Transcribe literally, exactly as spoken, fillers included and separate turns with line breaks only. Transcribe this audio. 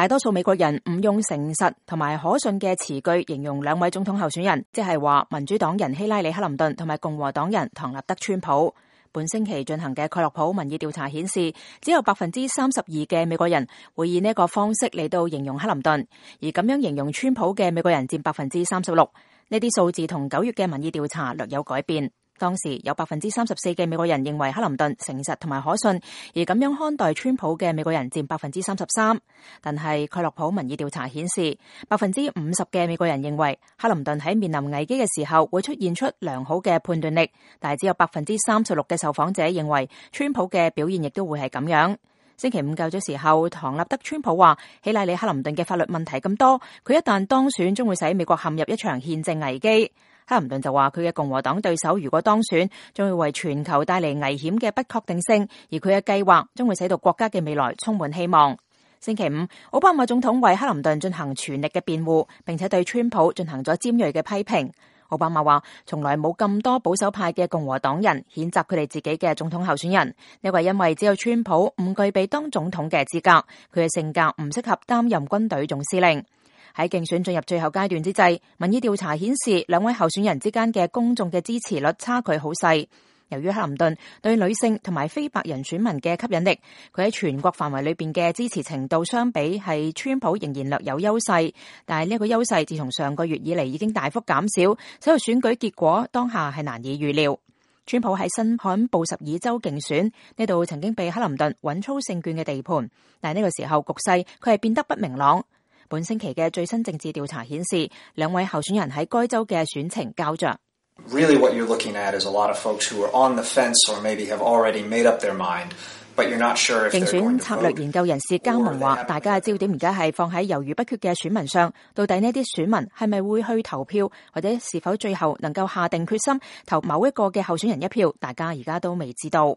大多數美國人唔用誠實同埋可信嘅詞句形容兩位總統候選人，即係話民主黨人希拉里克林頓同埋共和黨人唐納德川普。本星期進行嘅蓋洛普民意調查顯示，只有百分之三十二嘅美國人會以呢個方式嚟到形容克林頓，而咁樣形容川普嘅美國人佔百分之三十六。呢啲數字同九月嘅民意調查略有改變。當時有百分之三十四嘅美國人認為克林頓誠實同埋可信，而咁樣看待川普嘅美國人佔百分之三十三。但係蓋洛普民意調查顯示，百分之五十嘅美國人認為克林頓喺面臨危機嘅時候會出現出良好嘅判斷力，但係只有百分之三十六嘅受訪者認為川普嘅表現亦都會係咁樣。星期五較早時候，唐納德川普話希拉里克林頓嘅法律問題咁多，佢一旦當選將會使美國陷入一場憲政危機。克林頓就話佢嘅共和黨對手如果當選，將會為全球帶嚟危險嘅不確定性，而佢嘅計劃將會使到國家嘅未來充滿希望。星期五，奧巴馬總統為克林頓進行全力嘅辯護，並且對川普進行咗尖銳嘅批評。奧巴馬話從來冇咁多保守派嘅共和黨人譴責佢哋自己嘅總統候選人，呢個係因為只有川普唔具備當總統嘅資格，佢嘅性格唔適合擔任軍隊總司令。喺競選進入最後階段之際，民意調查顯示兩位候選人之間嘅公眾嘅支持率差距好細。由於克林頓對女性同埋非白人選民嘅吸引力，佢喺全國範圍裏邊嘅支持程度相比係川普仍然略有優勢，但係呢個優勢自從上個月以嚟已經大幅減少，所以選舉結果當下係難以預料。川普喺新罕布什爾州競選呢度曾經被克林頓穩操勝券嘅地盤，但係呢個時候局勢佢係變得不明朗。本星期嘅最新政治調查顯示，兩位候選人喺該州嘅選情膠着。
Really what you're looking at is a lot of folks who are on the fence or maybe have already made up their mind, but you're not sure if they're going to vote. 競選策略研究人士加蒙話，大家嘅焦點而家係放喺猶豫不決嘅選民上，到底呢啲選民係咪會去投票，或者是否最後能夠下定決心投某一個嘅候選人一票，大家而家都未知道。